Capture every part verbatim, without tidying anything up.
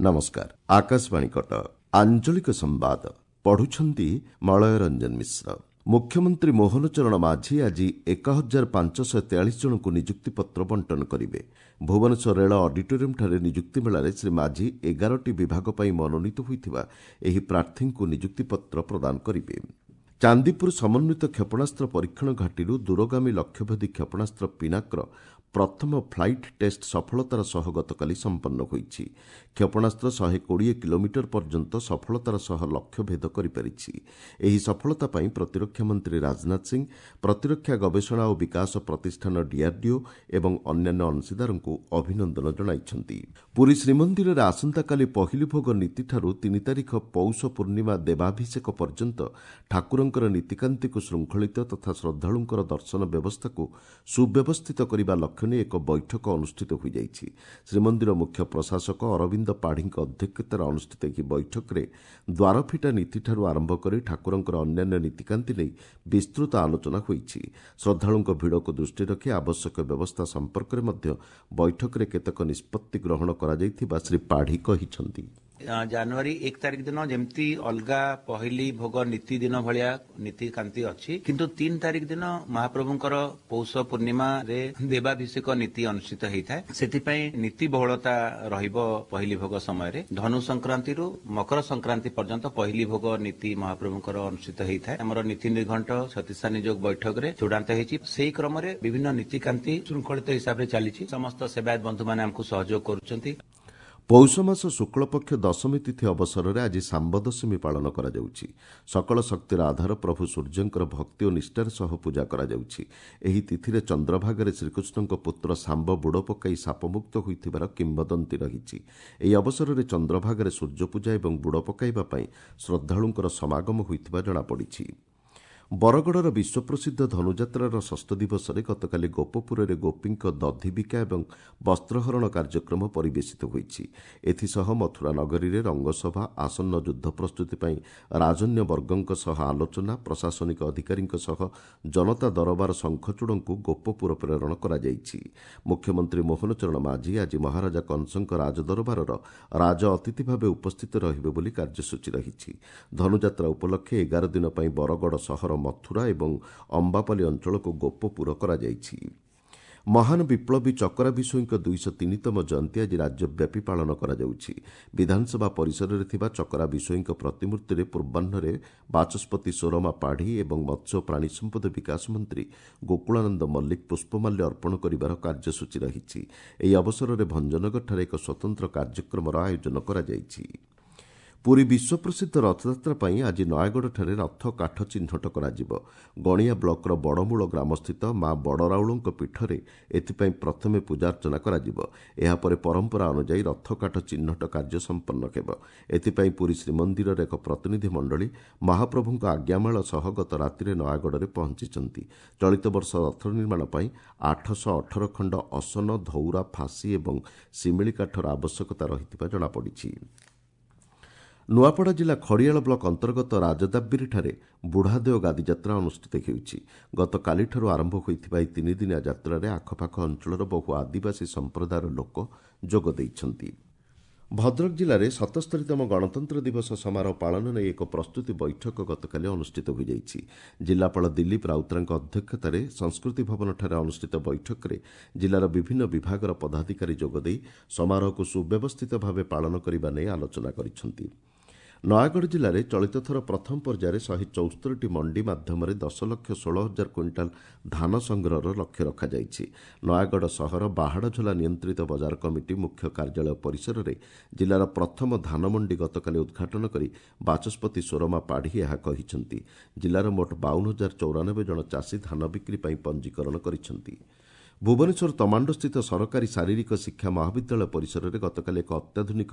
ନମସ୍କାର, ଆକାଶବାଣୀ କଟକ, ଆଞ୍ଚଳିକ ସମ୍ବାଦ ପଢୁଛନ୍ତି ମଳୟ ରଞ୍ଜନ ମିଶ୍ର। ମୁଖ୍ୟମନ୍ତ୍ରୀ ମୋହନ ଚରଣ ମାଝୀ ଆଜି ଏକ ହଜାର ପାଞ୍ଚଶହ ତେୟାଳିଶ ଜଣଙ୍କୁ ନିଯୁକ୍ତିପତ୍ର ବଣ୍ଟନ କରିବେ। ଭୁବନେଶ୍ୱର ରେଳ ଅଡିଟୋରିୟମ୍ଠାରେ ନିଯୁକ୍ତି ମେଳାରେ ଶ୍ରୀ ମାଝୀ ଏଗାରଟି ବିଭାଗ ପାଇଁ ମନୋନୀତ ହୋଇଥିବା ଏହି ପ୍ରାର୍ଥୀଙ୍କୁ ନିଯୁକ୍ତିପତ୍ର ପ୍ରଦାନ କରିବେ। ଚାନ୍ଦିପୁର ସମନ୍ୱିତ କ୍ଷେପଣାସ୍ତ୍ର ପରୀକ୍ଷଣ ଘାଟିରୁ ଦୂରଗାମୀ ଲକ୍ଷ୍ୟଭେଦୀ କ୍ଷେପଣାସ୍ତ୍ର ପିନାକର ପ୍ରଥମ ଫ୍ଲାଇଟ୍ ଟେଷ୍ଟ ସଫଳତାର ସହ ଗତକାଲି ସମ୍ପନ୍ନ ହୋଇଛି। କ୍ଷେପଣାସ୍ତ୍ର ଶହେ କୋଡ଼ିଏ କିଲୋମିଟର ପର୍ଯ୍ୟନ୍ତ ସଫଳତାର ସହ ଲକ୍ଷ୍ୟଭେଦ କରିପାରିଛି। ଏହି ସଫଳତା ପାଇଁ ପ୍ରତିରକ୍ଷା ମନ୍ତ୍ରୀ ରାଜନାଥ ସିଂ ପ୍ରତିରକ୍ଷା ଗବେଷଣା ଓ ବିକାଶ ପ୍ରତିଷ୍ଠାନ ଡିଆର୍ଡିଓ ଏବଂ ଅନ୍ୟାନ୍ୟ ଅଂଶୀଦାରଙ୍କୁ ଅଭିନନ୍ଦନ ଜଣାଇଛନ୍ତି। ପୁରୀ ଶ୍ରୀମନ୍ଦିରରେ ଆସନ୍ତାକାଲି ପହିଲି ଭୋଗ ନୀତିଠାରୁ ତିନି ତାରିଖ ପୌଷ ପୂର୍ଣ୍ଣିମା ଦେବାଭିଷେକ ପର୍ଯ୍ୟନ୍ତ ଠାକୁରଙ୍କର ନୀତିକାନ୍ତିକୁ ଶୃଙ୍ଖଳିତ ତଥା ଶ୍ରଦ୍ଧାଳୁଙ୍କର ଦର୍ଶନ ବ୍ୟବସ୍ଥାକୁ ସୁବ୍ୟବସ୍ଥିତ କରିବା ଲକ୍ଷ୍ୟ ନେଇ ଏକ ବୈଠକ ଅନୁଷ୍ଠିତ ହୋଇଯାଇଛି। ଶ୍ରୀମନ୍ଦିର ମୁଖ୍ୟ ପ୍ରଶାସକ ଅରବିନ୍ଦ ପାଢ଼ୀଙ୍କ ଅଧ୍ୟକ୍ଷତାରେ ଅନୁଷ୍ଠିତ ଏହି ବୈଠକରେ ଦ୍ୱାରଫିଟା ନୀତିଠାରୁ ଆରମ୍ଭ କରି ଠାକୁରଙ୍କର ଅନ୍ୟାନ୍ୟ ନୀତିକାନ୍ତି ନେଇ ବିସ୍ତୃତ ଆଲୋଚନା ହୋଇଛି। ଶ୍ରଦ୍ଧାଳୁଙ୍କ ଭିଡ଼କୁ ଦୃଷ୍ଟିରେ ରଖି ଆବଶ୍ୟକ ବ୍ୟବସ୍ଥା ସମ୍ପର୍କରେ ମଧ୍ୟ ବୈଠକରେ କେତେକ ନିଷ୍ପତ୍ତି ଗ୍ରହଣ କରାଯାଇଥିବା ଶ୍ରୀ ପାଢ଼ୀ କହିଛନ୍ତି। ଜାନୁଆରୀ ଏକ ତାରିଖ ଦିନ ଯେମିତି ଅଲଗା ପହିଲି ଭୋଗ ନୀତି ଦିନ ଭଳିଆ ନୀତିକାନ୍ତି ଅଛି, କିନ୍ତୁ ତିନି ତାରିଖ ଦିନ ମହାପ୍ରଭୁଙ୍କର ପୌଷ ପୂର୍ଣ୍ଣିମାରେ ଦେବାଭିଷେକ ନୀତି ଅନୁଷ୍ଠିତ ହେଇଥାଏ। ସେଥିପାଇଁ ନୀତି ବହୁଳତା ରହିବ ପହିଲି ଭୋଗ ସମୟରେ। ଧନୁ ସଂକ୍ରାନ୍ତିରୁ ମକର ସଂକ୍ରାନ୍ତି ପର୍ଯ୍ୟନ୍ତ ପହିଲି ଭୋଗ ନୀତି ମହାପ୍ରଭୁଙ୍କର ଅନୁଷ୍ଠିତ ହେଇଥାଏ। ଆମର ନୀତି ନିର୍ଘଣ୍ଟ ଛତିଶା ନିଯୋଗ ବୈଠକରେ ଚୂଡ଼ାନ୍ତ ହେଇଛି। ସେହି କ୍ରମରେ ବିଭିନ୍ନ ନୀତିକାନ୍ତି ଶୃଙ୍ଖଳିତ ହିସାବରେ ଚାଲିଛି। ସମସ୍ତ ସେବାୟତ ବନ୍ଧୁମାନେ ଆମକୁ ସହଯୋଗ କରୁଛନ୍ତି। ପୌଷ ମାସ ଶୁକ୍ଳପକ୍ଷ ଦଶମୀ ତିଥି ଅବସରରେ ଆଜି ଶାମ୍ବ ଦଶମୀ ପାଳନ କରାଯାଉଛି। ସକଳ ଶକ୍ତିର ଆଧାର ପ୍ରଭୁ ସୂର୍ଯ୍ୟଙ୍କର ଭକ୍ତି ଓ ନିଷ୍ଠାର ସହ ପୂଜା କରାଯାଉଛି। ଏହି ତିଥିରେ ଚନ୍ଦ୍ରଭାଗାରେ ଶ୍ରୀକୃଷ୍ଣଙ୍କ ପୁତ୍ର ଶାମ୍ବ ବୁଡ଼ ପକାଇ ଶାପମୁକ୍ତ ହୋଇଥିବାର କିମ୍ବଦନ୍ତୀ ରହିଛି। ଏହି ଅବସରରେ ଚନ୍ଦ୍ରଭାଗାରେ ସୂର୍ଯ୍ୟପୂଜା ଏବଂ ବୁଡ଼ ପକାଇବା ପାଇଁ ଶ୍ରଦ୍ଧାଳୁଙ୍କର ସମାଗମ ହୋଇଥିବା ଜଣାପଡ଼ିଛି। ବରଗଡ଼ର ବିଶ୍ୱପ୍ରସିଦ୍ଧ ଧନୁଯାତ୍ରାର ଷଷ୍ଠ ଦିବସରେ ଗତକାଲି ଗୋପପୁରରେ ଗୋପୀଙ୍କ ଦଧିବିକା ଏବଂ ବସ୍ତ୍ରହରଣ କାର୍ଯ୍ୟକ୍ରମ ପରିବେଶିତ ହୋଇଛି। ଏଥିସହ ମଥୁରା ନଗରୀରେ ରଙ୍ଗସଭା, ଆସନ୍ନ ଯୁଦ୍ଧ ପ୍ରସ୍ତୁତି ପାଇଁ ରାଜନ୍ୟ ବର୍ଗଙ୍କ ସହ ଆଲୋଚନା, ପ୍ରଶାସନିକ ଅଧିକାରୀଙ୍କ ସହ ଜନତା ଦରବାର ଶଙ୍ଖଚୂଡ଼ଙ୍କୁ ଗୋପପୁର ପ୍ରେରଣ କରାଯାଇଛି। ମୁଖ୍ୟମନ୍ତ୍ରୀ ମୋହନ ଚରଣ ମାଝୀ ଆଜି ମହାରାଜା କଂସଙ୍କ ରାଜଦରବାରର ରାଜ ଅତିଥି ଭାବେ ଉପସ୍ଥିତ ରହିବେ ବୋଲି କାର୍ଯ୍ୟସୂଚୀ ରହିଛି। ଧନୁଯାତ୍ରା ଉପଲକ୍ଷେ ଏଗାର ଦିନ ପାଇଁ ବରଗଡ଼ ସହର, ମଥୁରା ଏବଂ ଅମ୍ବାପାଲି ଅଞ୍ଚଳକୁ ଗୋପପୁର କରାଯାଇଛି। ମହାନ ବିପ୍ଳବୀ ଚକରା ବିଷୋୟୀଙ୍କ ଦୁଇଶହ ତିନିତମ ଜୟନ୍ତୀ ଆଜି ରାଜ୍ୟବ୍ୟାପୀ ପାଳନ କରାଯାଉଛି। ବିଧାନସଭା ପରିସରରେ ଥିବା ଚକରା ବିଷୋୟୀଙ୍କ ପ୍ରତିମୂର୍ତ୍ତିରେ ପୂର୍ବାହ୍ନରେ ବାଚସ୍ପତି ସୋରମା ପାଢ଼ୀ ଏବଂ ମତ୍ସ୍ୟ ଓ ପ୍ରାଣୀ ସମ୍ପଦ ବିକାଶ ମନ୍ତ୍ରୀ ଗୋକୁଳାନନ୍ଦ ମଲ୍ଲିକ ପୁଷ୍ପମାଲ୍ୟ ଅର୍ପଣ କରିବାର କାର୍ଯ୍ୟସୂଚୀ ରହିଛି। ଏହି ଅବସରରେ ଭଞ୍ଜନଗରଠାରେ ଏକ ସ୍ୱତନ୍ତ୍ର କାର୍ଯ୍ୟକ୍ରମର ଆୟୋଜନ କରାଯାଇଛି। ପୁରୀ ବିଶ୍ୱପ୍ରସିଦ୍ଧ ରଥଯାତ୍ରା ପାଇଁ ଆଜି ନୟାଗଡ଼ଠାରେ ରଥ କାଠ ଚିହ୍ନଟ କରାଯିବ। ଗଣିଆ ବ୍ଲକର ବଡ଼ମୂଳ ଗ୍ରାମସ୍ଥିତ ମା ବଡ଼ରାଉଳଙ୍କ ପୀଠରେ ଏଥିପାଇଁ ପ୍ରଥମେ ପୂଜାର୍ଚ୍ଚନା କରାଯିବ। ଏହାପରେ ପରମ୍ପରା ଅନୁଯାୟୀ ରଥକାଠ ଚିହ୍ନଟ କାର୍ଯ୍ୟ ସମ୍ପନ୍ନ ହେବ। ଏଥିପାଇଁ ପୁରୀ ଶ୍ରୀମନ୍ଦିରର ଏକ ପ୍ରତିନିଧି ମଣ୍ଡଳୀ ମହାପ୍ରଭୁଙ୍କ ଆଜ୍ଞାମାଳ ସହ ଗତ ରାତିରେ ନୟାଗଡ଼ରେ ପହଞ୍ଚିଛନ୍ତି। ଚଳିତ ବର୍ଷ ରଥ ନିର୍ମାଣ ପାଇଁ ଆଠଶହ ଅଠର ଖଣ୍ଡ ଅସନ, ଧଉରା, ଫାଶୀ ଏବଂ ଶିମିଳି କାଠର ଆବଶ୍ୟକତା ରହିଥିବା ଜଣାପଡ଼ିଛି। ନୂଆପଡ଼ା ଜିଲ୍ଲା ଖଡ଼ିଆଳ ବ୍ଲକ ଅନ୍ତର୍ଗତ ରାଜଦାବିରିଠାରେ ବୁଢ଼ାଦେଓ ଗାଦିଯାତ୍ରା ଅନୁଷ୍ଠିତ ହେଉଛି। ଗତକାଲିଠାରୁ ଆରମ୍ଭ ହୋଇଥିବା ଏହି ତିନିଦିନିଆ ଯାତ୍ରାରେ ଆଖପାଖ ଅଞ୍ଚଳର ବହୁ ଆଦିବାସୀ ସମ୍ପ୍ରଦାୟର ଲୋକ ଯୋଗ ଦେଇଛନ୍ତି। ଭଦ୍ରକ ଜିଲ୍ଲାରେ ସତସ୍ତରୀତମ ଗଣତନ୍ତ୍ର ଦିବସ ସମାରୋହ ପାଳନ ନେଇ ଏକ ପ୍ରସ୍ତୁତି ବୈଠକ ଗତକାଲି ଅନୁଷ୍ଠିତ ହୋଇଯାଇଛି। ଜିଲ୍ଲାପାଳ ଦିଲ୍ଲୀପ ରାଉତରାଙ୍କ ଅଧ୍ୟକ୍ଷତାରେ ସଂସ୍କୃତି ଭବନଠାରେ ଅନୁଷ୍ଠିତ ବୈଠକରେ ଜିଲ୍ଲାର ବିଭିନ୍ନ ବିଭାଗର ପଦାଧିକାରୀ ଯୋଗଦେଇ ସମାରୋହକୁ ସୁବ୍ୟବସ୍ଥିତ ଭାବେ ପାଳନ କରିବା ନେଇ ଆଲୋଚନା କରିଛନ୍ତି। ନୟାଗଡ଼ ଜିଲ୍ଲାରେ ଚଳିତ ଥର ପ୍ରଥମ ପର୍ଯ୍ୟାୟରେ ଶହେ ଚଉସ୍ତରୀଟି ମଣ୍ଡି ମାଧ୍ୟମରେ ଦଶ ଲକ୍ଷ ଷୋହଳ ହଜାର କୁଇଣ୍ଟାଲ ଧାନ ସଂଗ୍ରହର ଲକ୍ଷ୍ୟ ରଖାଯାଇଛି। ନୟାଗଡ଼ ସହର ବାହାଡ଼ଝୋଲା ନିୟନ୍ତ୍ରିତ ବଜାର କମିଟି ମୁଖ୍ୟ କାର୍ଯ୍ୟାଳୟ ପରିସରରେ ଜିଲ୍ଲାର ପ୍ରଥମ ଧାନ ମଣ୍ଡି ଗତକାଲି ଉଦ୍ଘାଟନ କରି ବାଚସ୍ପତି ସୋରମା ପାଢ଼ୀ ଏହା କହିଛନ୍ତି। ଜିଲ୍ଲାର ମୋଟ ବାଉନ ହଜାର ଚଉରାନବେ ଜଣ ଚାଷୀ ଧାନ ବିକ୍ରି ପାଇଁ ପଞ୍ଜୀକରଣ କରିଛନ୍ତି। ଭୁବନେଶ୍ୱର ତମାଣ୍ଡୋସ୍ଥିତ ସରକାରୀ ଶାରୀରିକ ଶିକ୍ଷା ମହାବିଦ୍ୟାଳୟ ପରିସରରେ ଗତକାଲି ଏକ ଅତ୍ୟାଧୁନିକ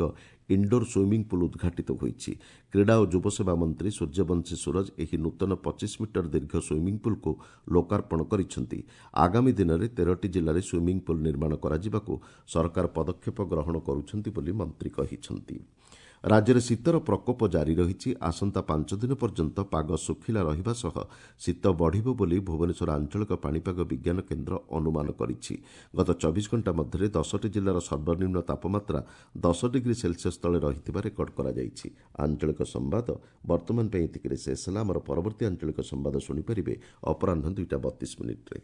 ଇନ୍ଡୋର ସୁଇମିଂ ପୁଲ୍ ଉଦ୍ଘାଟିତ ହୋଇଛି। କ୍ରୀଡ଼ା ଓ ଯୁବସେବା ମନ୍ତ୍ରୀ ସୂର୍ଯ୍ୟବଂଶୀ ସୂରଜ ଏହି ନୂତନ ପଚିଶ ମିଟର ଦୀର୍ଘ ସୁଇମିଂ ପୁଲ୍କୁ ଲୋକାର୍ପଣ କରିଛନ୍ତି। ଆଗାମୀ ଦିନରେ ତେରଟି ଜିଲ୍ଲାରେ ସୁଇମିଂ ପୁଲ୍ ନିର୍ମାଣ କରାଯିବାକୁ ସରକାର ପଦକ୍ଷେପ ଗ୍ରହଣ କରୁଛନ୍ତି ବୋଲି ମନ୍ତ୍ରୀ କହିଛନ୍ତି। ରାଜ୍ୟରେ ଶୀତର ପ୍ରକୋପ ଜାରି ରହିଛି। ଆସନ୍ତା ପାଞ୍ଚ ଦିନ ପର୍ଯ୍ୟନ୍ତ ପାଗ ଶୁଖିଲା ରହିବା ସହ ଶୀତ ବଢ଼ିବ ବୋଲି ଭୁବନେଶ୍ୱର ଆଞ୍ଚଳିକ ପାଣିପାଗ ବିଜ୍ଞାନ କେନ୍ଦ୍ର ଅନୁମାନ କରିଛି। ଗତ ଚବିଶ ଘଣ୍ଟା ମଧ୍ୟରେ ଦଶଟି ଜିଲ୍ଲାର ସର୍ବନିମ୍ନ ତାପମାତ୍ରା ଦଶ ଡିଗ୍ରୀ ସେଲସିୟସ୍ ତଳେ ରହିଥିବା ରେକର୍ଡ କରାଯାଇଛି। ଆଞ୍ଚଳିକ ସମ୍ବାଦ ବର୍ତ୍ତମାନ ପାଇଁ ଏତିକିରେ ଶେଷ ହେଲା। ଆମର ପରବର୍ତ୍ତୀ ଆଞ୍ଚଳିକ ସମ୍ବାଦ ଶୁଣିପାରିବେ ଅପରାହ୍ନ ଦୁଇଟା ବତିଶ ମିନିଟ୍ରେ।